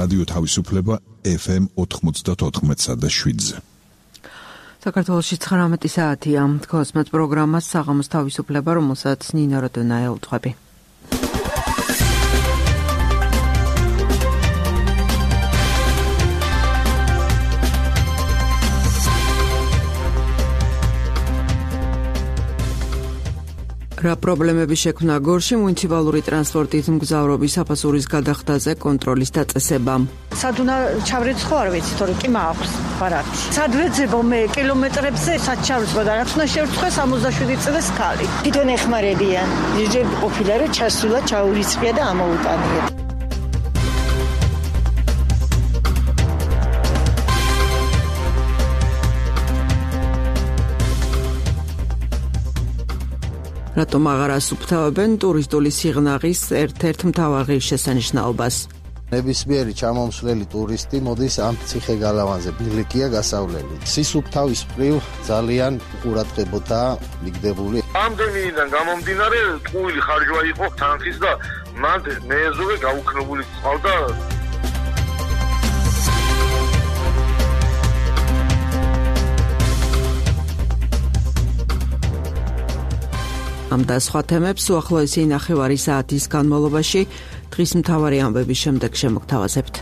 რადიო თავისუფლება FM 94.7-ზე. საქართველოში 19 საათია. Კოსმოს პროგრამას საღამოს თავისუფლება, რომელსაც ნინო როდონაია უთხრები. რა პრობლემები შექმნა გორში მუნიციპალური ტრანსპორტით მგზავრობის საფასურის გადახდაზე კონტროლის დაწესებამ. სად უნდა ჩავრეცხო არ ვიცი, თორე კი მაქვს ბარათი. სად ვეძებო მე კილომეტრებზე სად ჩავრეცხო და რაც უნდა შევრცხო 67 წლის ქალი. თვითონ ეხმარებიან. ჯერჯერობით ყოფილა რომ ჩასულა ჩაურიცხია და ამოუტანია. რატომ აღარ ასუფთავებენ ტურისტული სიღნაღის ერთ-ერთ მთავარ ღირსშესანიშნაობას? ნებისმიერი ჩამომსვლელი ტურისტი მოდის ამ ციხე-გალავანზე, ბილიკია გასავლელი. სისუფთავის მხრივ ძალიან ყურადღებოთა მიგდებული. ამდენიდან გამომდინარე, ტყუილი ხარჯვა იყო თანხის და მან მეეზოვე გაუქნებული წყალდა. ამ და სხვა თემებს უახლოესი ნახევარი საათის განმავლობაში დღის მთავარი ამბების შემდეგ შემოგთავაზებთ.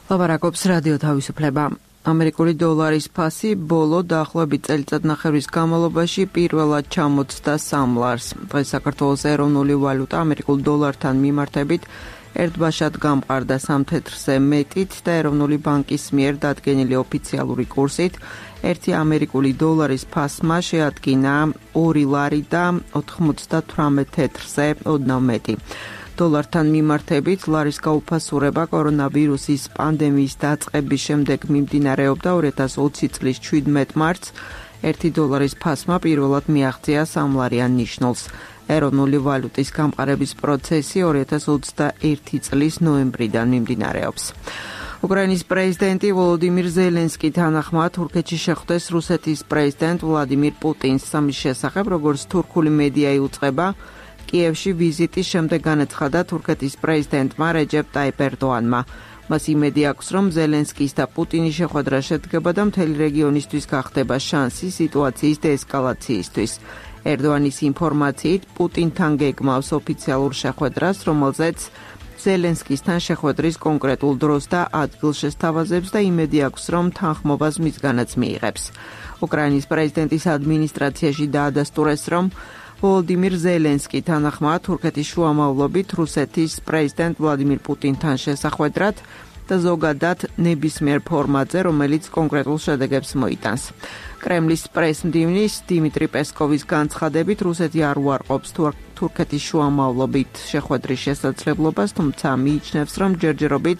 ლაპარაკობს რადიო თავისუფლება. ამერიკული დოლარის ფასი ბოლო დაახლოებით წელიწადნახევრის განმავლობაში პირველად ჩამოწდა 3 ლარს. დღეს საქართველოს ეროვნული ვალუტა ამერიკულ დოლართან მიმართებით ერთბაშად გამყარდა 3 თეთრზე მეტით და ეროვნული ბანკის მიერ დადგენილი ოფიციალური კურსით 1 ამერიკული დოლარის ფასმა შეადგინა 2 ლარი და 98 თეთრზე ოდნავ მეტი. დოლართან მიმართებით ლარის გაუფასურება კორონავირუსის პანდემიის დაწყების შემდეგ მიმდინარეობდა 2020 წლის 17 მარტს. 1 დოლარის ფასმა პირველად მიაღწია 3 ლარიან ნიშნულს. ეროვნული ვალუტის გამყარების პროცესი 2021 წლის ნოემბრიდან მიმდინარეობს. უკრაინის პრეზიდენტი ვოლოდიმირ ზელენსკი თანახმად თურქეთში შეხვდეს რუსეთის პრეზიდენტ ვლადიმირ პუტინს. ამის შესახებ, როგორც თურქული მედია იუწყება, კიევში ვიზიტის შემდეგ განაცხადა თურქეთის პრეზიდენტმა რეჯეპ ტაიპ ერდოანმა. მას იმედი აქვს, რომ ზელენსკის და პუტინის შეხვედრა შედგება და მთელი რეგიონისთვის გახდება შანსი სიტუაციის დეესკალაციისთვის. ერდოანის ინფორმაციით, პუტინთან გეგმავს ოფიციალურ შეხვედრას, რომელზეც ზელენსკისთან შეხვედრის კონკრეტულ დროს და ადგილს შესთავაზებს და იმედი აქვს, რომ თანხმობას მისგანაც მიიღებს. უკრაინის პრეზიდენტის ადმინისტრაციაში დაადასტურეს, რომ ვოლოდიმირ ზელენსკი თანახმად თურქეთის შუამავლობით რუსეთის პრეზიდენტ ვლადიმირ პუტინთან შესახვედრად და ზოგადად ნებისმიერ ფორმატზე, რომელიც კონკრეტულ შედეგებს მოიტანს. კრემლის პრესმდივნის დიმიტრი პესკოვის განცხადებით, რუსეთი არ უარყოფს თურქეთის შუამავლობით შეხვედრის შესაძლებლობას, თუმცა მიიჩნევს, რომ ჯერჯერობით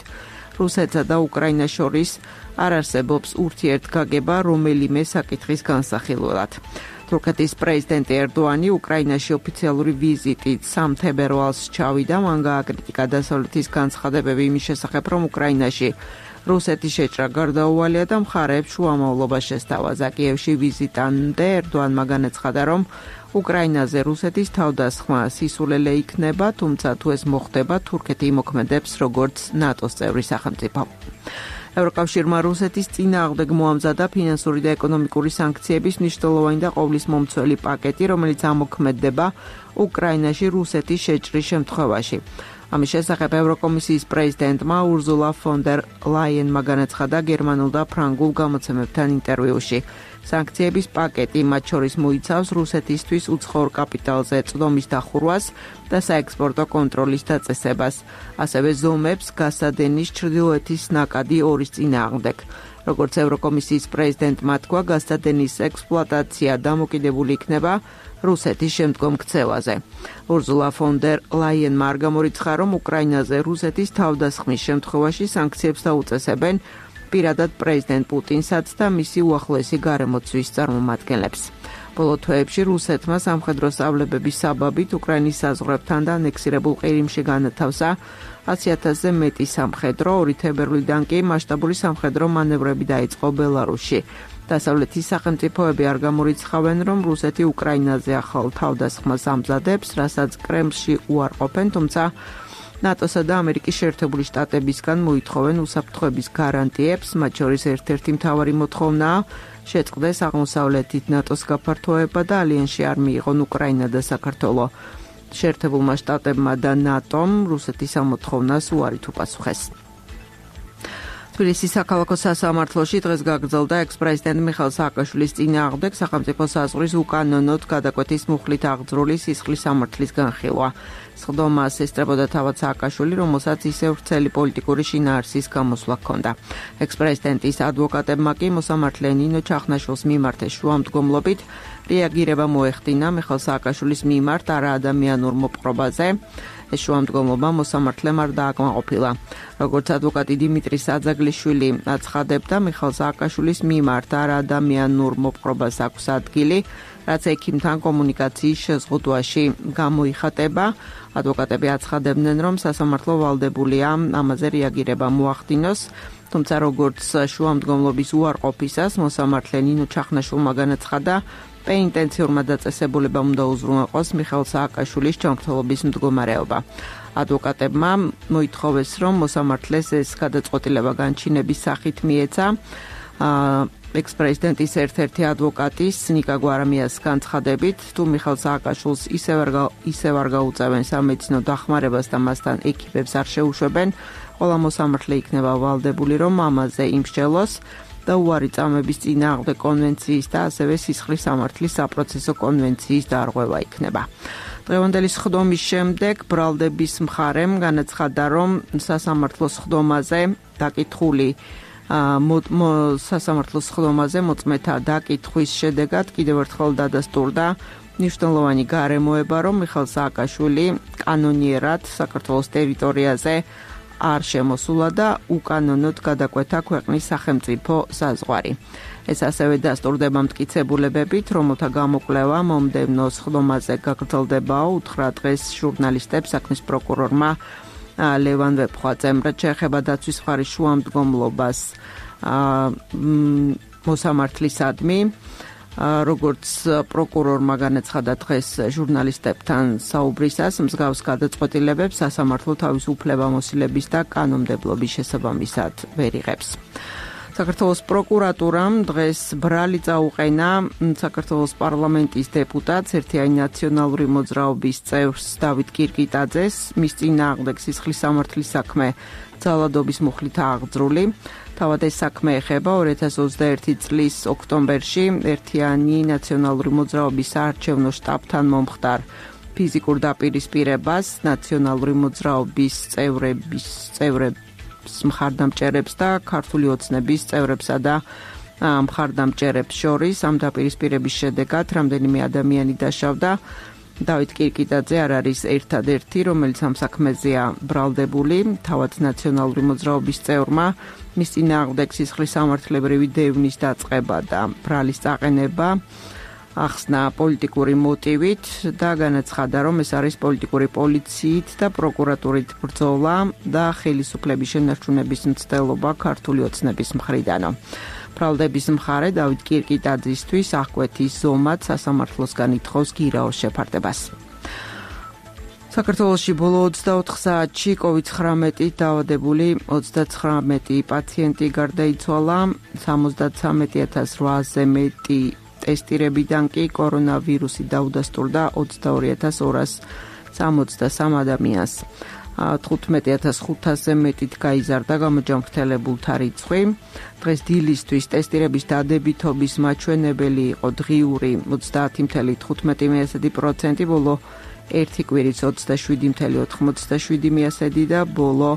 რუსეთსა და უკრაინას შორის არ არსებობს ურთიერთგაგება რომელიმე საკითხის განსახილველად. თურქეთის პრეზიდენტი ერდოანი უკრაინაში ოფიციალური ვიზიტით 3 თებერვალს ჩავიდა. მან გააკრიტიკა დასავლეთის განცხადებები იმის შესახებ, რომ უკრაინაში რუსეთის შეჭრა გარდაუვალია და მხარეებს შუამავლობა შესთავაზა. კიევში ვიზიტამდე ერდოანმა განაცხადა, რომ უკრაინაზე რუსეთის თავდასხმა სისულელე იქნება, თუმცა თუ ეს მოხდება, თურქეთი იმოქმედებს როგორც ნატოს წევრი სახელმწიფო. ევროკავშირმა რუსეთის წინააღმდეგ მოამზადა ფინანსური და ეკონომიკური სანქციების მნიშვნელოვანი და ყოვლისმომცველი პაკეტი, რომელიც ამოქმედდება უკრაინაში რუსეთის შეჭრის შემთხვევაში. ამის შესახებ ევროკომისიის პრეზიდენტმა ურზულა ფონ დერ ლაიენმა განაცხადა გერმანულ და ფრანგულ გამოცემებთან ინტერვიუში. სანქციების პაკეტი მათ შორის მოიცავს რუსეთისთვის უცხოურ კაპიტალზე წვდომის დახურვას და საექსპორტო კონტროლის დაწესებას, ასევე ზომებს გასადენის ჩრდილოეთის ნაკადი ორის წინააღმდეგ. როგორც ევროკომისიის პრეზიდენტმა თქვა, გასადენის ექსპლუატაცია დამოკიდებული იქნება რუსეთის შემდგომ ქცევაზე. ურზულა ფონ დერ ლაიენმა არ გამორიცხა, რომ უკრაინაზე რუსეთის თავდასხმის შემთხვევაში სანქციებს დაუწესებენ პირადად პრეზიდენტ პუტინსაც და მისი უახლოესი გარემოცვის წარმომადგენლებს. ბოლო თვეებში რუსეთმა სამხედრო სწავლებების საბაბით უკრაინის საზღვრებთან და ანექსირებულ ყირიმში განათავსა 100,000-ზე მეტი სამხედრო, 2 თებერვლიდან კი მასშტაბური სამხედრო მანევრები დაიწყო ბელარუსში. დასავლეთის სახელმწიფოები არ გამორიცხავენ, რომ რუსეთი უკრაინაზე ახალ თავდასხმას ამზადებს, რასაც კრემლში უარყოფენ, თუმცა ნატოსა და ამერიკის შეერთებული შტატებისგან მოითხოვენ უსაფრთხოების გარანტიებს, მათ შორის ერთ-ერთი მთავარი მოთხოვნაა შეწყდეს აღმოსავლეთით ნატოს გაფართოება და ალიანსში არ მიიღონ უკრაინა და საქართველო. შეერთებულმა შტატებმა და ნატომ რუსეთის ამოთხოვნას უარით უპასუხეს. თბილისის საქალაქო სასამართლოში დღეს გაგრძელდა ექს-პრეზიდენტ მიხეილ სააკაშვილის წინააღმდეგ სახელმწიფო საზღვრის უკანონოდ გადაკვეთის მუხლით აღძრული სისხლის სამართლის განხილვა. სხდომას ესწრებოდა თავად სააკაშვილი, რომელსაც ისევ ვრცელი პოლიტიკური შინაარსის გამოსვლა ჰქონდა. ექს-პრეზიდენტის ადვოკატებმა კი მოსამართლე ნინო ჩახნაშვილს მიმართეს შუამდგომლობით რეაგირება მოეხდინა მიხეილ სააკაშვილის მიმართ არაადამიანურ მოპყრობაზე. ეს შუამდგომლობა მოსამართლემ არ დააკმაყოფილა. როგორც ადვოკატი დიმიტრი საძაგლიშვილი აცხადებდა, მიხეილ სააკაშვილის მიმართ არაადამიანურ მოპყრობას აქვს ადგილი, რაც ექიმთან კომუნიკაციის შეზღუდვაში გამოიხატება. ადვოკატები აცხადებდნენ, რომ სასამართლო ვალდებულია ამაზე რეაგირება მოახდინოს, თუმცა როგორც შუამდგომლობის უარყოფისას მოსამართლე ნინო ჩახნაშვილმა განაცხადა, პენიტენციურმა დაწესებულებამ უნდა უზრუნველყოს მიხეილ სააკაშვილის ჯანმრთელობის მდგომარეობა. ადვოკატებმა მოითხოვეს, რომ მოსამართლეს ეს გადაწყვეტილება განჩინების სახით მიეცა. ექს-პრეზიდენტის ერთ-ერთი ადვოკატის ნიკა გვარამიას განცხადებით, თუ მიხეილ სააკაშვილს ისევ არ გაუწევენ სამედიცინო დახმარებას და მასთან ეკიპებს არ შეუშვებენ, ყველა მოსამართლე იქნება ვალდებული, რომ ამაზე იმსჯელოს და უარი წამების წინააღმდეგ კონვენციის და ასევე სისხლის სამართლის საპროცესო კონვენციის დარღვევა იქნება. დღევანდელი სხდომის შემდეგ ბრალდების მხარემ განაცხადა, რომ სასამართლოს სხდომაზე დაკითხული სასამართლოს სხდომაზე მოწმეთა დაკითხვის შედეგად კიდევ ერთხელ დადასტურდა მნიშვნელოვანი გარემოება, რომ მიხეილ სააკაშვილი კანონიერად საქართველოს ტერიტორიაზე არ შემოსულა და უკანონოდ გადაკვეთა ქვეყნის სახელმწიფო საზღვარი. ეს ასევე დასტურდება მტკიცებულებებით, რომელთა გამოკვლევა მომდევნო სხდომაზე გაგრძელდებაო, უთხრა დღეს ჟურნალისტებს საქმის პროკურორმა ლევან ვეფხვაძემ. რაც შეეხება დაცვის მხარის შუამდგომლობას მოსამართლისადმი, როგორც პროკურორმა განაცხადა დღეს ჟურნალისტებთან საუბრისას, მსგავს გადაწყვეტილებებს სასამართლო თავისუფლებამოსილების და კანონმდებლობის შესაბამისად ვერ იღებს. საქართველოს პროკურატურამ დღეს ბრალი წაუყენა საქართველოს პარლამენტის დეპუტატს, ერთიანი ნაციონალური მოძრაობის წევრს დავით კირკიტაძეს, მის წინააღმდეგ სისხლის სამართლის საქმე ძალადობის მუხლით აღძრული. თავად ეს საქმე ეხება 2021 წლის ოქტომბერში ერთიანი ნაციონალური მოძრაობის საარჩევნო შტაბთან მომხდარ ფიზიკურ დაპირისპირებას ნაციონალური მოძრაობის წევრებს მხარდამჭერებს და ქართული ოცნების წევრებსა და მხარდამჭერებს შორის. ამ დაპირისპირების შედეგად რამდენიმე ადამიანი დაშავდა. დავით კირკიტაძე არ არის ერთადერთი, რომელიც ამ საქმეზეა ბრალდებული. თავად ნაციონალური მოძრაობის წევრმა მის წინააღმდეგ სისხლის სამართლებრივი დევნის დაწყება და ბრალის წაყენება ახსნა პოლიტიკური მოტივით და განაცხადა, რომ ეს არის პოლიტიკური პოლიციით და პროკურატურით ბრძოლა და ხელისუფლების შენარჩუნების მცდელობა ქართული ოცნების მხრიდანო. ბრალდების მხარე დავით კირკიტაძისთვის აღკვეთის ზომად სასამართლოსგან ითხოვს გირაოს შეფარდებას. საქართველოში ბოლო 24 საათში COVID-19 დაავადებული 39 პაციენტი გარდაიცვალა, 73,800-ზე მეტი ტესტირებიდან კი კორონავირუსი დაუდასტურდა 22,263 ადამიანს. 15,500-ზე მეტით გაიზარდა გამოჯანმრთელებულთა რიცხვი. დღეს დილისთვის ტესტირების დადებითობის მაჩვენებელი იყო დღიური 30,15% ბოლო ერთი კვირის 27,87% და ბოლო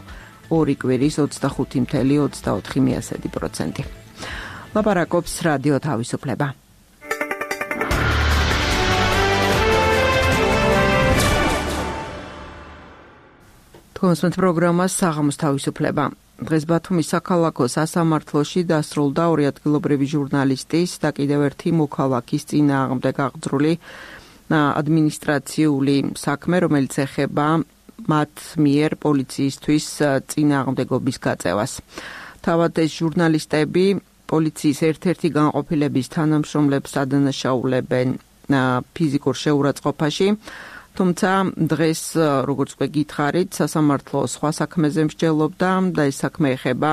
ორი კვირის 25,24%. ლაპარაკობს რადიო თავისუფლება. თქვენს პროგრამას საღამოს თავისუფლება. დღეს ბათუმის საქალაქო სასამართლოში დასრულდა ორი ადგილობრივი ჟურნალისტის და კიდევ ერთი მოქალაქის წინააღმდეგ აღძრული ადმინისტრაციული საქმე, რომელიც ეხება მათ მიერ პოლიციისთვის წინააღმდეგობის გაწევას. თავად ეს ჟურნალისტები პოლიციის ერთ-ერთი განყოფილების თანამშრომლებს ადანაშაულებენ ფიზიკურ შეურაცხყოფაში, თუმცა დღეს, როგორც უკვე გითხარით, სასამართლო სხვა საქმეზე მსჯელობდა და ეს საქმე ეხება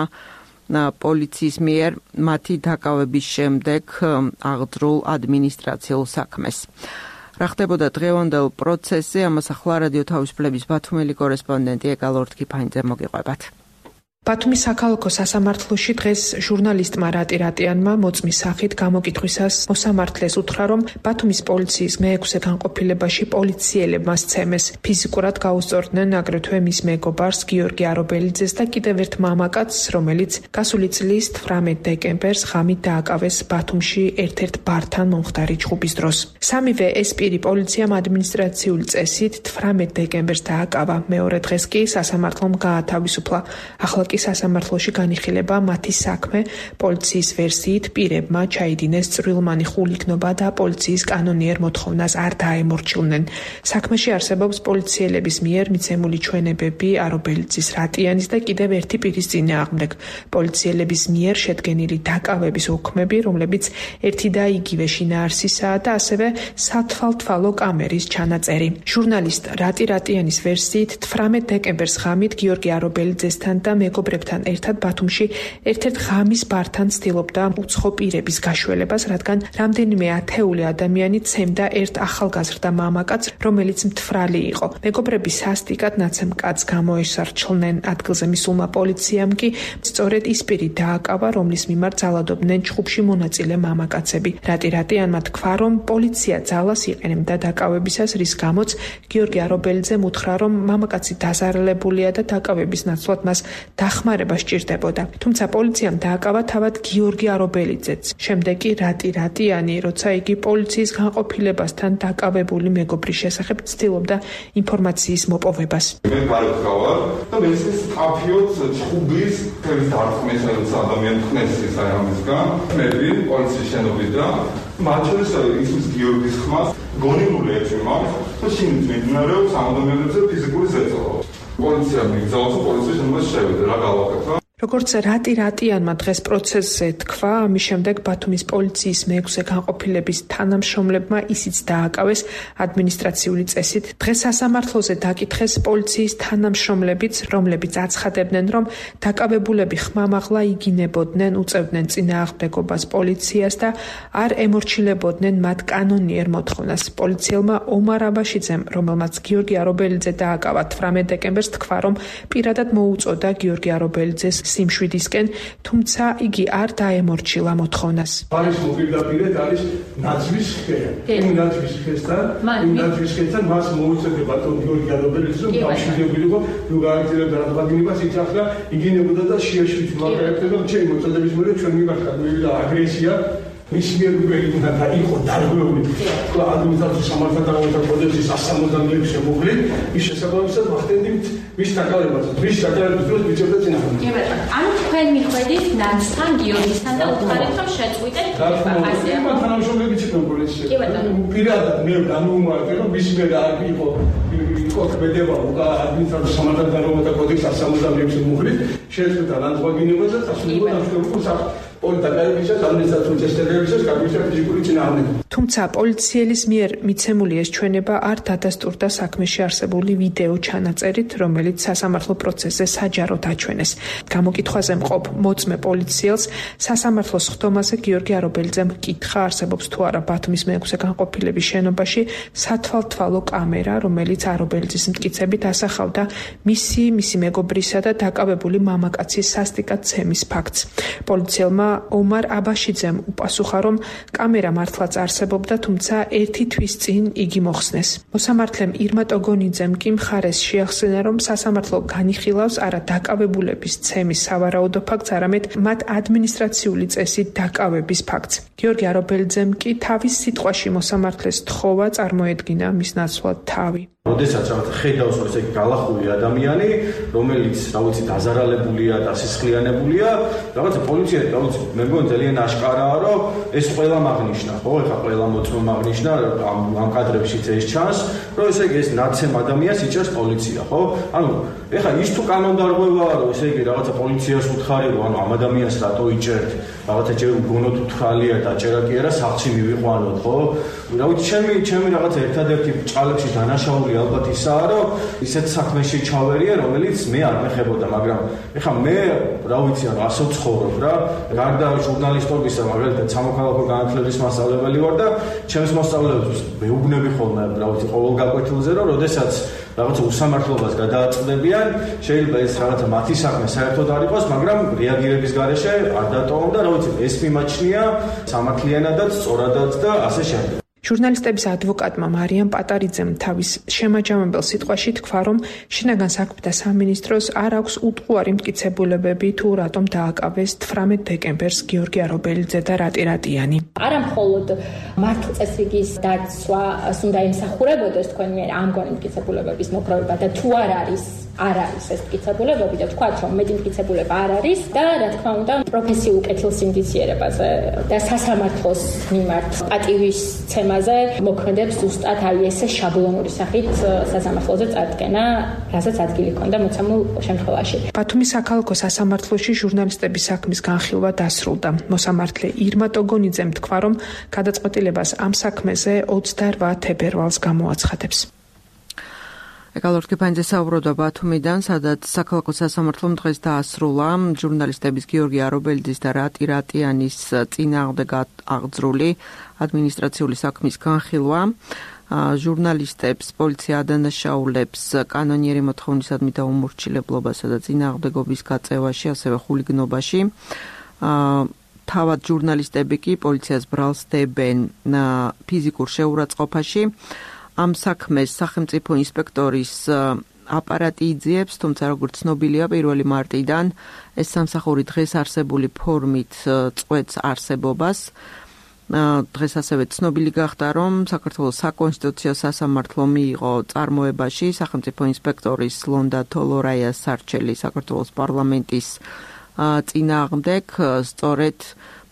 პოლიციის მიერ მათი დაკავების შემდეგ აღძრულ ადმინისტრაციულ საქმეს. რა ხდებოდა დღევანდელ პროცესზე, ამას ახლა რადიო თავისუფლების ბათუმელი კორესპონდენტი ეკალორთქიფანიძე მოგიყვებათ. ბათუმის საქალაქო სასამართლოში დღეს ჟურნალისტმა რატი რატიანმა მოწმის სახით გამოკითხვისას მოსამართლეს უთხრა, რომ ბათუმის პოლიციის მე-6 განყოფილებაში პოლიციელებმა სცემეს ფიზიკურად გაუსწორდნენ აგრეთვე მის მეგობარს გიორგი არობელიძეს და კიდევ ერთ მამაკაცს, რომელიც გასული წლის 18 დეკემბერს ღამით დააკავეს ბათუმში ერთ-ერთ ბართან მომხდარი ჩხუბის დროს. სამივე ეს პირი პოლიციამ ადმინისტრაციული წესით 18 დეკემბერს დააკავა. მეორე დღეს კი სასამართლომ გაათავისუფლა. ახლა სასამართლოში განიხილება მათი საქმე. პოლიციის ვერსიით პირებმა ჩაიდინეს წვრილმანი ხულიკნობა და პოლიციის კანონიერ მოთხოვნას არ დაემორჩილნენ. საქმეში არსებობს პოლიციელების მიერ მიცემული ჩვენებები არობელიძის, რატიანის და კიდევ ერთი პირის წინააღმდეგ. პოლიციელების მიერ შედგენილი დაკავების უქმები, რომლებიც ერთი და იგივე შინაარსისაა და ასევე სათვალთვალო კამერის ჩანაწერი. ჟურნალისტ რატი რატიანის ვერსიით 18 დეკემბერს ღამით გიორგი არობელიძესთან და მეგობრებთან ერთად ბათუმში ერთ-ერთ ღამის ბართან ცდილობდა უცხო პირების გაშველებას, რადგან რამდენიმე ათეული ადამიანი ცემდა ერთ ახალგაზრდა მამაკაცს, რომელიც მთვრალი იყო. მეგობრები სასტიკად ნაცემ კაცს გამოესარჩლნენ. ადგილზე მისულმა პოლიციამ კი სწორედ ის პირი დააკავა, რომლის მიმართ ძალადობდნენ ჩხუბში მონაწილე მამაკაცები. რატი რატიანმა თქვა, რომ პოლიცია ძალას იყენებდა დაკავებისას, რის გამოც გიორგი არობელიძემ უთხრა, რომ მამაკაცი დაზარალებულია და დაკავების ნაცვლად მას დახმარება სჭირდებოდა. თუმცა პოლიციამ დააკავა თავად გიორგი არობელიძეც. შემდეგ კი რატი რატიანი, როცა იგი პოლიციის განყოფილებასთან დაკავებული მეგობრის შესახებ ცდილობდა ინფორმაციის მოპოვებას. მე გარკვევარ და მე ეს კაფიოც ჩხუბის ფერის დარქმესაც ადამიანს ხნესის აი ამისგან. მე პოლიციის შენობით და მათ შორის ის გიორგის ხმას გონებული ეჭვმა და მიმდინარეობს ამ ადამიანებზე ფიზიკური ზეწოლა. პოლიცია მიგზავნოს პოლიციის შემდგომ შევიდა რა გავაკეთო. როგორც რატი რატიანმა დღეს პროცესზე თქვა, ამის შემდეგ ბათუმის პოლიციის მე-6 განყოფილების თანამშრომლებმა ისიც დააკავეს ადმინისტრაციული წესით. დღეს სასამართლოზე დაკითხეს პოლიციის თანამშრომლებიც, რომლებიც აცხადებდნენ, რომ დაკავებულები ხმამაღლა იგინებოდნენ, უწევდნენ წინააღმდეგობას პოლიციას და არ ემორჩილებოდნენ მათ კანონიერ მოთხოვნას. პოლიციელმა ომარ აბაშიძემ, რომელმაც გიორგი არობელიძე დააკავა 18 დეკემბერს, თქვა, რომ პირადად მოუწოდა გიორგი არობელიძეს სიმშვიდისკენ, თუმცა იგი არ დაემორჩილა მოთხოვნას. არის მოპირდაპირედ არის ნაძვის ხე. იმ ნაძვის ხესთან მას მოუწოდა ბატონ გიორგი არობელიძე, რომ თავშეძებულიყო, რომ გააგრძელებდა რადგანებას იცახდა, იგინებოდა და შეაშვით მაგალითად ჩემი მოწოდების მერე ჩვენ მიმართა მივიდა აგრესია. მის მიერ გვერდიდან და იყო დარღვეული ადმინისტრაციის სამართალდამოუკიდებლობის კოდექსის 166 შემოღლით ის შესაბამისად ვახდენდით მის დაკავებას დროს ვიჭერდა წინააღმდეგ. კი ბატონო, ანუ თქვენ მიხვედით ნაცთან გიორგისთან და უთხარით რომ შეწყვიტეთ ასე. მან თანამშრომლები ცოტა პოლიციაში. კი ბატონო. პირადად მე განუმარტე რომ მის მიერ არ იყო კოდბედება ადმინისტრაციის სამართალდამოუკიდებლობის კოდექსის 166 შემოღლით შეწყვიტა განწყობინება და დასრულდა სამშობლო თუმცა პოლიციელის მიერ მიცემული ეს ჩვენება არ დადასტურდა საქმეში არსებული ვიდეო ჩანაწერით, რომელიც სასამართლო პროცესზე საჯაროდ აჩვენეს. გამოკითხვაზე მყოფ მოწმე პოლიციელს სასამართლოს ხდომაზე გიორგი არობელიძემ კითხა, არსებობს თუ არა ბათუმის მე-6 განყოფილების შენობაში სათვალთვალო კამერა, რომელიც არობელიძის მტკიცებით ასახავდა მისი მეგობრისა და დაკავებული მამაკაცის სასტიკად ცემის ფაქტს. პოლიციელმა ომარ აბაშიძემ უპასუხა, რომ კამერა მართლაც არსებობდა, თუმცა ერთი თვის წინ იგი მოხსნეს. მოსამართლემ ირმა ტოგონიძემ კი მხარეს შეახსენა, რომ სასამართლო განიხილავს არა დაკავებულების ცემის სავარაუდო ფაქტს, არამედ მათ ადმინისტრაციული წესით დაკავების ფაქტს. გიორგი არობელიძემ კი თავის სიტყვაში მოსამართლეს თხოვა წარმოედგინა მის ნაცვლად თავი. როდესაც რაღაც ხედავს რომ ესე გალახული ადამიანი, რომელიც დაზარალებულია, დასისხლიანებულია, რაღაცა პოლიცია, მე მგონი ძალიან აშკარაა, რომ ეს ყველა მაგნიშნა, ხო? ეხლა ყველა მოწმო მაგნიშნა ამ კადრებშიც ეს ჩანს, რომ ესე იგი ეს ნაცემ ადამიანს იჭერს პოლიცია, ხო? ანუ ეხლა ის თუ კანონდარღვევაა, რომ ესე იგი რაღაცა პოლიციას უთხარი, რომ ანუ ამ ადამიანს რატო იჭერთ, რაღაცა ჯერ უგონოთ უთხალია დაჭერა კი არა, სახლში მივიყვანოთ, ხო? რა ვიცი, ჩემი რაღაცა ერთადერთი ჭალებში დანაშაული ალბათ ისაა, რომ ისეთ საქმეში ჩავერია, რომელიც მე არ მეხებოდა, მაგრამ ეხლა მე რა ვიცი, ანუ ასე ვცხოვრობ რა, გარდა ჟურნალისტობისა, მაგალითად სამოქალაქო განათლების მასწავლებელი ვარ და ჩემს მასწავლებლებს მეუბნები ხოლმე, რა ვიცი, ყოველ გაკვეთილზე, რომ როდესაც რაღაცა უსამართლობას გადააწყდებიან, შეიძლება ეს რაღაცა მათი საქმე საერთოდ არ იყოს, მაგრამ რეაგირების გარეშე არ დატოვონ და რა ვიცი, ეს მიმაჩნია სამართლიანადაც, სწორადაც და ასე შემდეგ. ჟურნალისტების ადვოკატმა მარიამ პატარიძემ თავის შემაჯამებელ სიტყვაში თქვა, რომ შინაგან საქმეთა სამინისტროს არ აქვს უტყუარი მტკიცებულებები თუ რატომ დააკავეს 18 დეკემბერს გიორგი არობელიძე და რატი რატიანი. არა მხოლოდ მართლწესრიგის დაცვას უნდა იმსახურებოდეს თქვენ მიერ ამგვარი მტკიცებულებების მოპოვება და თუ არ არის ეს მტკიცებულებები და თქვათ, რომ მეტი მტკიცებულება არ არის და რა თქმა უნდა პროფესიულ კეთილსინდისიერებაზე და სასამართლოს მიმართ პატივისცემაზე მოქმედებს ზუსტად ესე შაბლონური სახით სასამართლოზე წარდგენა, რასაც ადგილი ჰქონდა მოცემულ შემთხვევაში. ბათუმის საქალაქო სასამართლოში ჟურნალისტების საქმის განხილვა დასრულდა. მოსამართლე ირმა ტოგონიძემ თქვა, რომ გადაწყვეტილებას ამ საქმეზე 28 თებერვალს გამოაცხადებს. ეკალორ კიფანიძე საუბრობდა ბათუმიდან, სადაც საქალაქო სასამართლომ დღეს დაასრულა ჟურნალისტების გიორგი არობელიძის და რატი რატიანის წინააღმდეგ აღძრული ადმინისტრაციული საქმის განხილვა. ჟურნალისტებს პოლიცია ადანაშაულებს კანონიერი მოთხოვნისადმი დაუმორჩილებლობასა და წინააღმდეგობის გაწევაში, ასევე ხულიგნობაში. თავად ჟურნალისტები კი პოლიციას ბრალს დებენ ფიზიკურ შეურაცხყოფაში. ამ საქმეს სახელმწიფო ინსპექტორის აპარატი იძიებს, თუმცა როგორც ცნობილია 1 მარტიდან ეს სამსახური დღეს არსებული ფორმით წყვეტს არსებობას. დღეს ასევე ცნობილი გახდა, რომ საქართველოს საკონსტიტუციო სასამართლო მიიღო წარმოებაში სახელმწიფო ინსპექტორის ლონდა თოლორაიას სარჩელი საქართველოს პარლამენტის წინააღმდეგ, სწორედ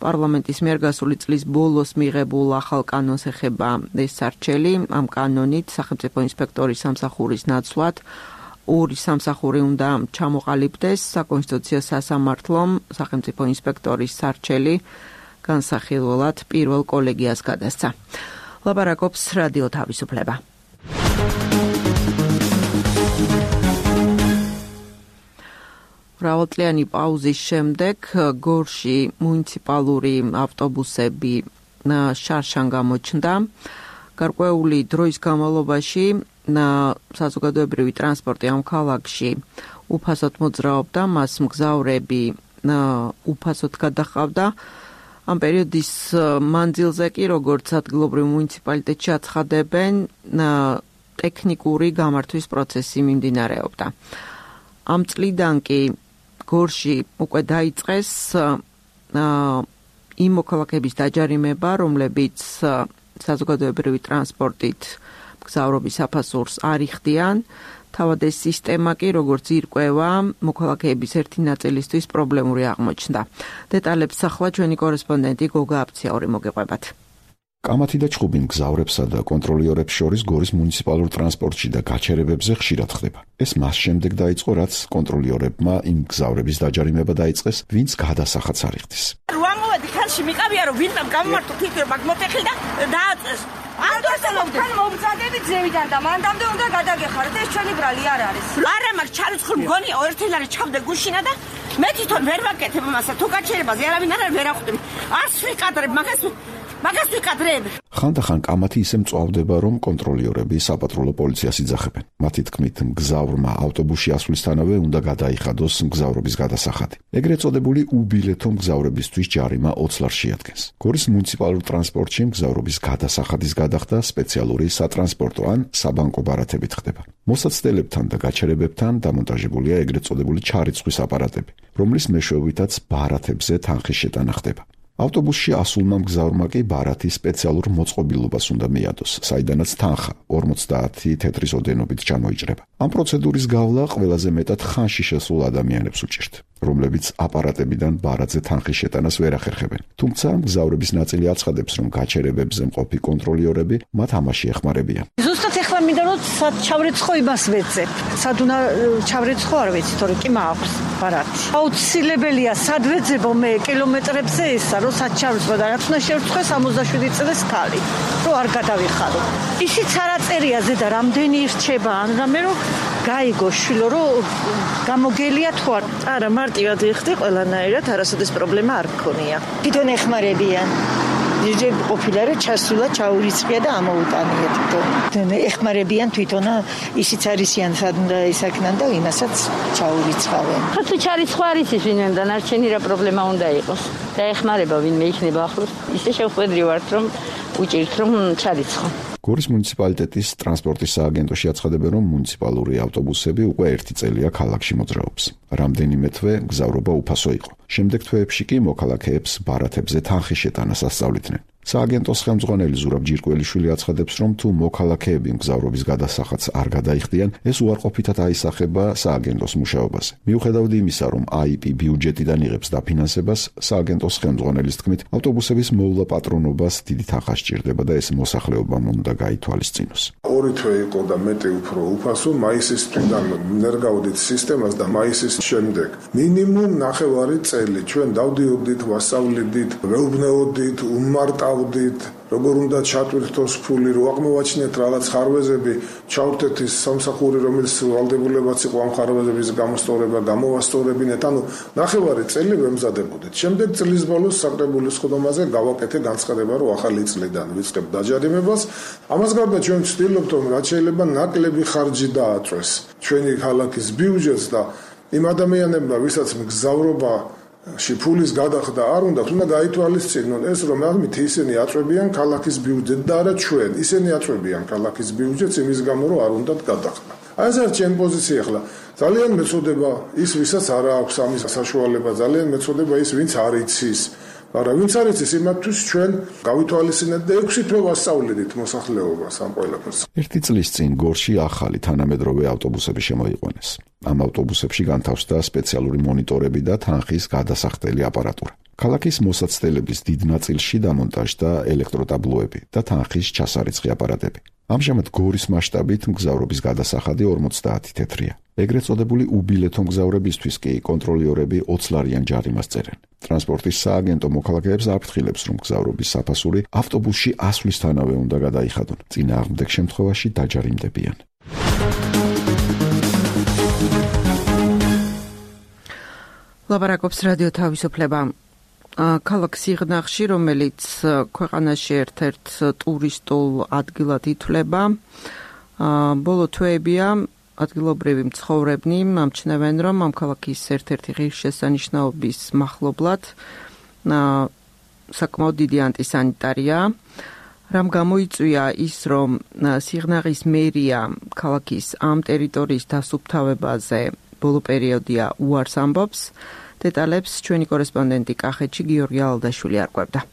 პარლამენტის მიერ გასული წლის ბოლოს მიღებულ ახალ კანონს ეხება ეს სარჩელი. ამ კანონით სახელმწიფო ინსპექტორის სამსახურის ნაცვლად ორი სამსახური უნდა ჩამოყალიბდეს. საკონსტიტუციო სასამართლომ სახელმწიფო ინსპექტორის სარჩელი განსახილველად პირველ კოლეგიას გადასცა. ლაპარაკობს რადიო თავისუფლება. მრავალწლიანი პაუზის შემდეგ გორში მუნიციპალური ავტობუსები შარშან გამოჩნდა. გარკვეული დროის განმავლობაში საზოგადოებრივი ტრანსპორტი ამ ქალაქში უფასოდ მოძრაობდა, მას მგზავრები უფასოდ გადაჰყავდა. ამ პერიოდის მანძილზე კი, როგორც ადგილობრივ მუნიციპალიტეტში აცხადებენ, ტექნიკური გამართვის პროცესი მიმდინარეობდა. ამ წლიდან კი გორში უკვე დაიწყეს იმ მოქალაქეების დაჯარიმება, რომლებიც საზოგადოებრივი ტრანსპორტით მგზავრობის საფასურს არ იხდიან. თავად ეს სისტემა კი, როგორც ირკვევა, მოქალაქეების ერთი ნაწილისთვის პრობლემური აღმოჩნდა. დეტალებს ახლა ჩვენი კორესპონდენტი გოგა აფციაური მოგეყვებათ. კამათი და ჭხუბი მგზავრებსა და კონტროლიორებს შორის გორის მუნიციპალურ ტრანსპორტში და გაჩერებებზე ხშირად ხდება. ეს მას შემდეგ დაიწყო, რაც კონტროლიორებმა იმ მგზავრების დაჯარიმება დაიწყეს, ვინც გადასახადს არ იხდის. რუამოვედი ხელში მიყავია, რომ ვინმე გამმართო თვითონ მაგ მოტეხილ და დააწეს. არ დარწმუნებთან მომწადებით ზევიდან და მანდამდე უნდა გადაგეხაროთ, ეს ჩვენი ბრალი არ არის. არა მაგ ჩარიცხულ მგონია ერთილარი ჩავდე გუშინა და მე თვითონ ვერ ვაკეთებ მასა თუ გაჩერებაზე არავინ არ ვერახვდები. არც ვიკადრებ მაგას ვიკადრებ. ხანდახან კამათი ისე მწვავდება, რომ კონტროლიორები საპატრულო პოლიციას იძახებენ. მათი თქმით, მგზავრმა ავტობუსში ასვლისთანავე უნდა გადაიხადოს მგზავრობის გადასახადი. ეგრეთ წოდებული უბილეთო მგზავრებისთვის ჯარიმა 20 ლარს შეადგენს. გორის მუნიციპალურ ტრანსპორტში მგზავრობის გადასახადის გადახდა სპეციალური სატრანსპორტო ან საბანკო ბარათებით ხდება. მოსაცდელებთან და გაჩერებებთან დამონტაჟებულია ეგრეთ წოდებული ჩარიცხვის აპარატები, რომლის მეშვეობითაც ბარათებზე თანხის შეტანა ხდება. ავტობუსში ასულმა მგზავრმა კი ბარათის სპეციალურ მოწყობილობას უნდა მიადოს, საიდანაც თანხა 50 თეთრის ოდენობით ჩამოიჭრება. ამ პროცედურის გავლა ყველაზე მეტად ხანში შესულ ადამიანებს უჭირთ, რომლებიც აპარატებიდან ბარათზე თანხის შეტანას ვერ ახერხებენ. თუმცა მგზავრების ნაწილი აცხადებს, რომ გაჩერებებზე მყოფი კონტროლიორები მათ ამაში ეხმარებიან. ზუსტად ეხლა მინდა რომ სად ჩავრეცხო იმას ვეცებ. სად უნდა ჩავრეცხო არ ვიცი, თორე კი მაქვს ბარათი. აუცილებელია სად ვეძებო მე კილომეტრებზე ესა, რომ სად ჩავრეცხო და რაც უნდა შევრცხო 67 წელს ქალი, რომ არ გადავიხარო. ისიც არაწერია ზედა რამდენი რჩება, ან რამე რომ გაიგო შვილო რომ გამოგელია თუ არა მარტივად იხდი ყველანაირად არასოდეს პრობლემა არ გქონია. თვითონ ეხმარებიან. ჯერ ყოფილა რომ ჩასულა ჩაურიცხია და ამოუტანია თვითონ. ეხმარებიან თვითონ ისიც არისიან სად უნდა ისაქნან და იმასაც ჩაურიცხავენ. ხათუ ჩარიცხვა არის ის ვინმე და ნარჩენი რა პრობლემა უნდა იყოს. და ეხმარება ვინმე იქნება ახლოს. ისე შევხვედრი ვართ რომ უჭირთ რომ ჩარიცხო. გორის მუნიციპალიტეტის ტრანსპორტის სააგენტოში აცხადებენ, რომ მუნიციპალური ავტობუსები უკვე 1 წელია ქალაქში მოძრაობს. რამდენიმე თვე მგზავრობა უფასო იყო. შემდეგ თვეებში კი მოქალაქეებს ბარათებზე თანხის შეტანას ასწავლიდნენ. სააგენტოს ხელმძღვანელი ზურაბ ჯირკველიშვილი აცხადებს, რომ თუ მოქალაქეები მგზავრობის გადასახადს არ გადაიხდიან, ეს უარყოფითად აისახება სააგენტოს მუშაობაზე. მიუხედავად იმისა, რომ AIP ბიუჯეტიდან იღებს დაფინანსებას, სააგენტოს ხელმძღვანელის თქმით, ავტობუსების მოვლა პატრონობას დიდი თანხა სჭირდება და ეს მოსახლეობამ უნდა გაითვალისწინოს. 2 თვე იყო და მეტი უფრო უფასო, მაისის თვიდან ვერ გავდით სისტემას და მაისის შემდეგ მინიმუმ 9 წელი ჩვენ დავდიოდით, ვასწავლიდით, ვეუბნეოდით, უმარტავდით, როგორ უნდა ჩატვირთოს ფული, რო აღმოვაჩინეთ რაღაც ხარვეზები, ჩავთეთ ის სამსახური, რომელიც ვალდებულებაც იყო ამ ხარვეზების გამოსწორება, გამოვასწორებინეთ, ანუ 9 წელი ვემზადებოდით. შემდეგ წლის ბოლოს საკრებულოს ხდომაზე გავაკეთე განცხადება, რომ ახალი წლიდან ვიწყებ დაჯარიმებას. ამას გარდა ჩვენ ვცდილობთ, რომ რაც შეიძლება ნაკლები ხარჯი დააწვეს ჩვენი ქალაქის ბიუჯეტს და იმ ადამიანებმა, ვისაც მგზავრობა ფულის გადახდა არ უნდა გაითვალისწინონ ეს, რომ ამით ისინი აწვევიან ქალაქის ბიუჯეტს და არა ჩვენ. ისინი აწვევიან ქალაქის ბიუჯეტს იმის გამო, რომ არ უნდათ გადახდა. აი ეს არის ჩემი პოზიცია ახლა. ძალიან მეწოდება ის, ვისაც არ აქვს ამის საშუალება, ძალიან მეწოდება ის, ვინც არ იცის. მაგრამ ვინც არ იცის, იმათთვის ჩვენ გავითვალისწინეთ და 6 თვე ვასწავლეთ მოსახლეობას ამ ყველაფერს. 1 წლის წინ გორში ახალი თანამედროვე ავტობუსები შემოიყვანეს. ამ ავტობუსებში განთავსდა სპეციალური მონიტორები და თანხის გადასახდელი აპარატურა. ქალაქის მოსაცდელების დიდ ნაწილში დამონტაჟდა ელექტროტაბლოები და თანხის ჩასარიცხი აპარატები. ამჟამად გორის მასშტაბით მგზავრობის გადასახადი 50 თეთრია. ეგრეთ წოდებული უბილეთო მგზავრებისთვის კი კონტროლიორები 20 ლარიან ჯარიმას წერენ. ტრანსპორტის სააგენტო მოქალაქეებს აფრთხილებს, რომ მგზავრობის საფასური ავტობუსში ასვლისთანავე უნდა გადაიხადონ. წინააღმდეგ შემთხვევაში დაჯარიმდებიან. ლაპარაკობს რადიო თავისუფლება. ქალაქ სიღნაღში, რომელიც ქვეყანაში ერთ-ერთ ტურისტულ ადგილად ითვლება, ბოლო თვეებია ადგილობრივი მცხოვრებნი ამჩნევენ, რომ ამ ქალაქის ერთ-ერთი ღირსშესანიშნაობის მახლობლად საკმაოდ დიდი ანტისანიტარია. რამ გამოიწვია ის, რომ სიღნაღის მერია ქალაქის ამ ტერიტორიის დასუფთავებაზე ბოლო პერიოდია უარს ამბობს. დეტალებს ჩვენი კორესპონდენტი კახეთში გიორგი ალდაშვილი არკვევდა.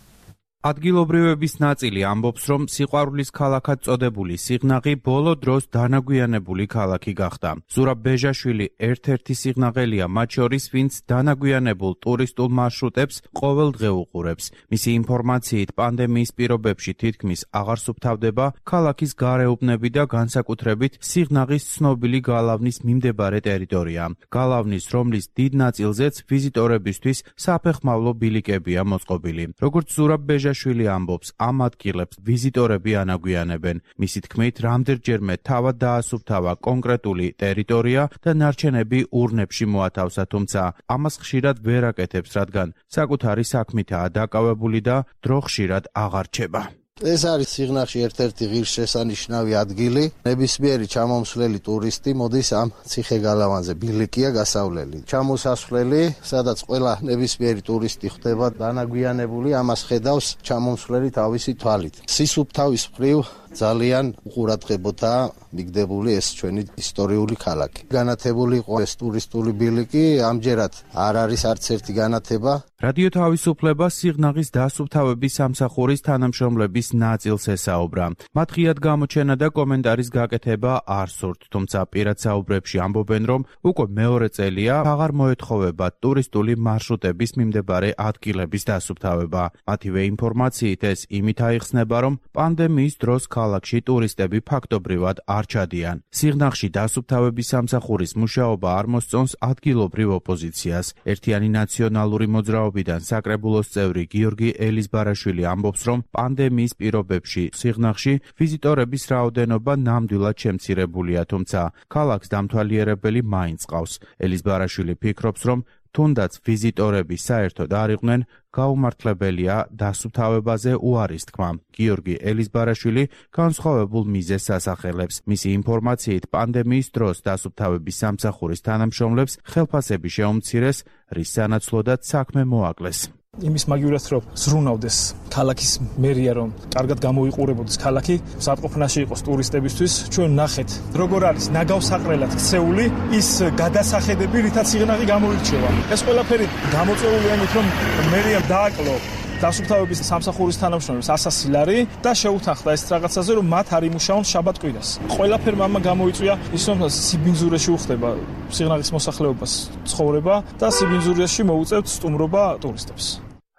ადგილობრივების ნაწილი ამბობს, რომ სიყვარულის ქალაქად წოდებული სიღნაღი ბოლო დროს დანაგვიანებული ქალაქი გახდა. ზურაბ ბეჟაშვილი ერთ-ერთი სიღნაღელია მათ შორის, ვინც დანაგვიანებულ ტურისტულ მარშრუტებს ყოველდღე უყურებს. მისი ინფორმაციით, პანდემიის პირობებში თითქმის აღარ სუფთავდება ქალაქის გარეუბნები და განსაკუთრებით სიღნაღის ცნობილი გალავნის მიმდებარე ტერიტორია. გალავნის, რომლის დიდ ნაწილზეც ვიზიტორებისთვის საფეხმავლო ბილიკებია მოწყობილი. როგორც ზურაბ შვილი ამბობს, ამ ადგილებს ვიზიტორები ანაგვიანებენ. მისი თქმით, რამდენჯერმე თავად დაასუფთავა კონკრეტული ტერიტორია და ნარჩენები ურნებში მოათავსა, თუმცა ამას ხშირად ვერ აკეთებს, რადგან საკუთარი საქმითაა დაკავებული და დრო ხშირად აღარ რჩება. ეს არის სიღნაღში ერთ-ერთი ღირსშესანიშნავი ადგილი. ნებისმიერი ჩამომსვლელი ტურისტი მოდის ამ ციხე-გალავანზე, ბილიკია გასავლელი. ჩამოსასვლელი, სადაც ყველა ნებისმიერი ტურისტი ხდება დანაგვიანებული, ამას ხედავს ჩამომსვლელი თავისი თვალით. სისუფთავის მხრივ ძალიან უყურადღებოთა მიგდებული ეს ჩვენი ისტორიული ქალაქი. განათებული იყო ეს ტურისტული ბილიკი, ამჯერად არ არის არც ერთი განათება. რადიო თავისუფლება სიღნაღის დასუფთავების სამსახურის თანამშრომლების ნაწილს ესაუბრა. მათ ღიად გამოჩენა და კომენტარის გაკეთება არ სურთ, თუმცა პირად საუბრებში ამბობენ, რომ უკვე მეორე წელია აღარ მოეთხოვება ტურისტული მარშრუტების მიმდებარე ადგილების დასუფთავება. მათივე ინფორმაციით ეს იმით აიხსნება, რომ პანდემიის დროს ქალაქში ტურისტები ფაქტობრივად არ ჩადიან. სიღნაღში დასუფთავების სამსახურის მუშაობა არ მოსწონს ადგილობრივ ოპოზიციას. ერთიანი ნაციონალური მოძრაობიდან საკრებულოს წევრი გიორგი ელიზბარაშვილი ამბობს, რომ პანდემიის პირობებში სიღნაღში ვიზიტორების რაოდენობა ნამდვილად შემცირებულია, თუმცა ქალაქს დამთვალიერებელი მაინც ყავს. ელიზბარაშვილი ფიქრობს, რომ თუნდაც ვიზიტორები საერთოდ არ იყვნენ, გაუმართლებელია დასუფთავებაზე უარის თქმა. გიორგი ელიზბარაშვილი განსხვავებულ მიზეზს ასახელებს. მისი ინფორმაციით, პანდემიის დროს დასუფთავების სამსახურის თანამშრომლებს ხელფასები შეუმცირეს, რის სანაცვლოდაც საქმე მოაკლეს. იმის მაგივრად რომ ზრუნავდეს ქალაქის მერია, რომ კარგად გამოიყურებოდეს ქალაქი, სათყოფნაში იყოს ტურისტებისთვის. ჩვენ ნახეთ, როგორ არის ნაგავსაყრელად ქცეული ის გადასახედები, რითაც სიღნაღი გამოირჩევა. ეს ყველაფერი გამოწვეულია იმით, რომ მერიამ დააკლო დასუფთავების სამსახურის თანამშრომლებს 100 ლარი და შეუთანხმდა ეს რაღაცაზე, რომ მათ არ იმუშაონ შაბათ-კვირას. ყველაფერმა ამა გამოიწვია ის, რომ სიბინძურეში უხდება სიღნაღის მოსახლეობას ცხოვრება და სიბინძურეში მოუწევთ სტუმრობა ტურისტებს.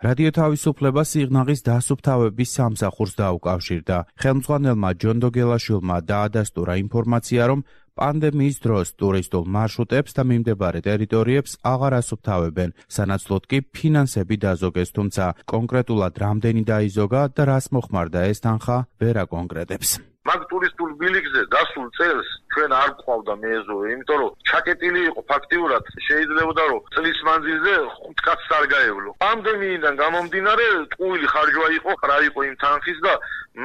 რადიო თავისუფლება სიღნაღის დასუფთავების სამსახურს დაუკავშირდა. ხელმძღვანელმა ჯონ დოგელაშვილმა დაადასტურა ინფორმაცია, რომ პანდემიის დროს ტურისტულ მარშრუტებს და მიმდებარე ტერიტორიებს აღარ ასუფთავებენ, სანაცვლოდ კი ფინანსები დაზოგეს, თუმცა კონკრეტულად რამდენი დაიზოგა და რას მოხმარდა ეს თანხა ვერ აკონკრეტებს. მაგ ტურისტულ ბილიკზე დასულ წელს ჩვენ არ გვყავდა მეზობლი, იმიტომ რომ ჩაკეტილი იყო ფაქტიურად, შეიძლებოდა რომ წლის მანძილზე 5 კაცს არ გაევლო. პანდემიიდან გამომდინარე, ტყუილი ხარჯვა იყო, რა იყო იმ თანხის და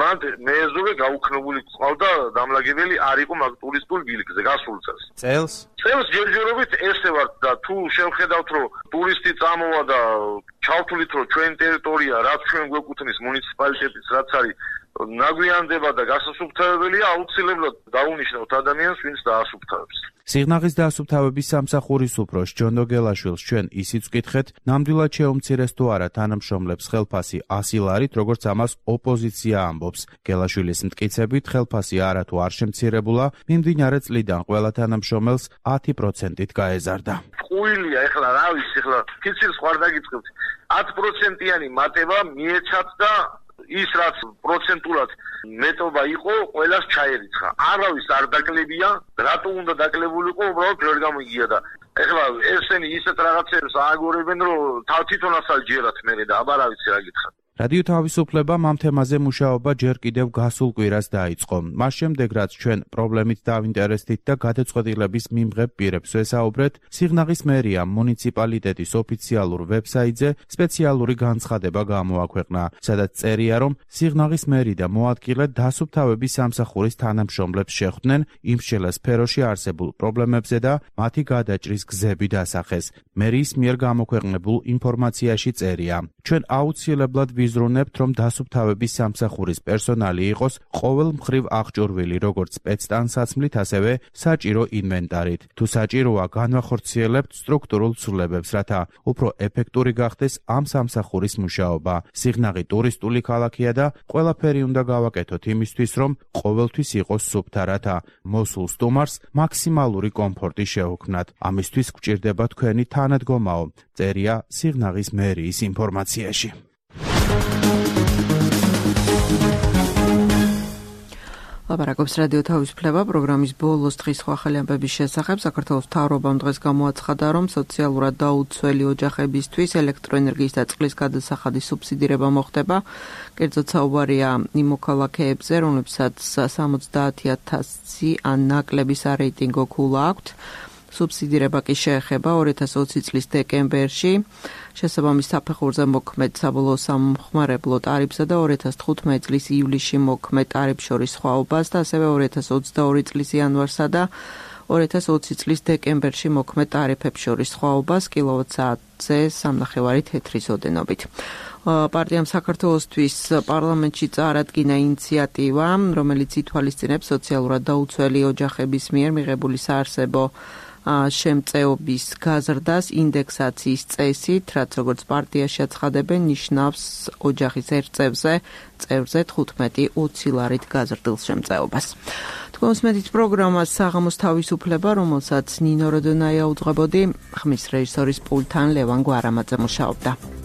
მან მეზობლი გაუქნებული ყავდა დამლაგებელი არ იყო მაგ ტურისტულ ბილიკზე გასულ წელს. წელს ჯერჯერობით ესე ვარ და თუ შევხედავთ რომ ტურისტი წამოვა და ჩავთვლით რომ ჩვენ ტერიტორია რაც ჩვენ გვეკუთვნის მუნიციპალიტეტის რაც არის ნაგვიანდება და გასასუფთავებელია, აუცილებლად დაუნიშნავთ ადამიანს, ვინც დაასუფთავებს. სიღნაღის დასუფთავების სამსახურის უფროს ჯონ დოგელაშვილს ჩვენ ისიც ვკითხეთ, ნამდვილად შეუმცირეს თუ არა თანამშრომლებს ხელფასი 100 ლარით, როგორც ამას ოპოზიცია ამბობს. გელაშვილის მტკიცებით, ხელფასი არათუ არ შემცირებულა, მიმდინარე წლიდან ყველა თანამშრომელს 10%-ით გაეზარდა. ყუილია, ეხლა რა ვიცი, ეხლა ფიცილს ხარ დაგიწყებთ. 10%-იანი მატება მიეცათ და ის რაც პროცენტულად მეტობა იყო, ყველას ჩაერიცხა. არავის არ დაკლებია, რატო უნდა დაკლებულიყო, უბრალოდ ვერ გამიგია და ეხლა ესენი ისეთ რაღაცებს ააგორებენ, რომ თვითონაც ჯერათ მე და აბა რა ვიცი რა გითხრათ. რადიო თავისუფლებამ ამ თემაზე მუშაობა ჯერ კიდევ გასულ კვირას დაიწყო. მას შემდეგ, რაც ჩვენ პრობლემით დავინტერესდით და გადაწყვეტილების მიმღებ პირებს ვესაუბრეთ, სიღნაღის მერიამ მუნიციპალიტეტის ოფიციალურ ვებსაიტზე სპეციალური განცხადება გამოაქვეყნა, სადაც წერია, რომ სიღნაღის მერი და მოადგილე დასუფთავების სამსახურის თანამშრომლებს შეხვდნენ იმ შელას სფეროში არსებულ პრობლემებზე და მათი გადაჭრის გზები დასახეს. მერის მიერ გამოქვეყნებულ ინფორმაციაში წერია, ჩვენ აუცილებლად ვიზრუნებთ, რომ დასუფთავების სამსახურის პერსონალი იყოს ყოველ მხრივ აღჭურვილი, როგორც სპეცტანსაცმლით, ასევე საჭირო ინვენტარით. თუ საჭიროა, განვახორციელებთ სტრუქტურულ ცვლილებებს, რათა უფრო ეფექტური გახდეს ამ სამსახურის მუშაობა. სიღნაღი ტურისტული ქალაქია და ყველაფერი უნდა გავაკეთოთ იმისთვის, რომ ყოველთვის იყოს სუფთა, რათა მოსულ სტუმარს მაქსიმალური კომფორტი შეუქმნათ. ამისთვის გვჭირდება თქვენი თანადგომაო, წერია სიღნაღის მერიის ინფორმაციაში. ლაპარაკობს რადიო თავისუფლება პროგრამის ბოლოს დღის სხვა ახალი ამბების შესახებ. საქართველოს მთავრობამ დღეს გამოაცხადა, რომ სოციალურად დაუცველი ოჯახებისთვის ელექტროენერგიის და წყლის გადასახადის სუბსიდირება მოხდება. კერძოდ საუბარია იმ მოქალაქეებზე, რომლებსაც 70,000 ან ნაკლები სარეიტინგო ქულა აქვთ. სუბსიდირება კი შეეხება 2020 წლის დეკემბერში შესაბამის საფეხურზე მოქმედ საბოლოო სამხმარებლო ტარიფსა და 2015 წლის ივლისში მოქმედ ტარიფს შორის სხვაობას და ასევე 2022 წლის იანვარსა და 2020 წლის დეკემბერში მოქმედ ტარიფებს შორის სხვაობას კილოვატ-საათზე 3.5 თეთრის ოდენობით. პარტიამ საქართველოსთვის პარლამენტში წარადგინა ინიციატივა, რომელიც ითვალისწინებს სოციალურად დაუცველი ოჯახების მიერ მიღებული საარსებო შემწეობის გაზრდას ინდექსაციის წესით, რაც როგორც პარტიაში აცხადებენ, ნიშნავს ოჯახის ერთ წევრზე 15-20 ლარით გაზრდილ შემწეობას. თქვენს მედით პროგრამას საღამოს თავისუფლება, რომელსაც ნინო როდონაია უძღვებოდი, ხმის რეჟისორის პულტთან ლევან გვარამაძე მუშაობდა.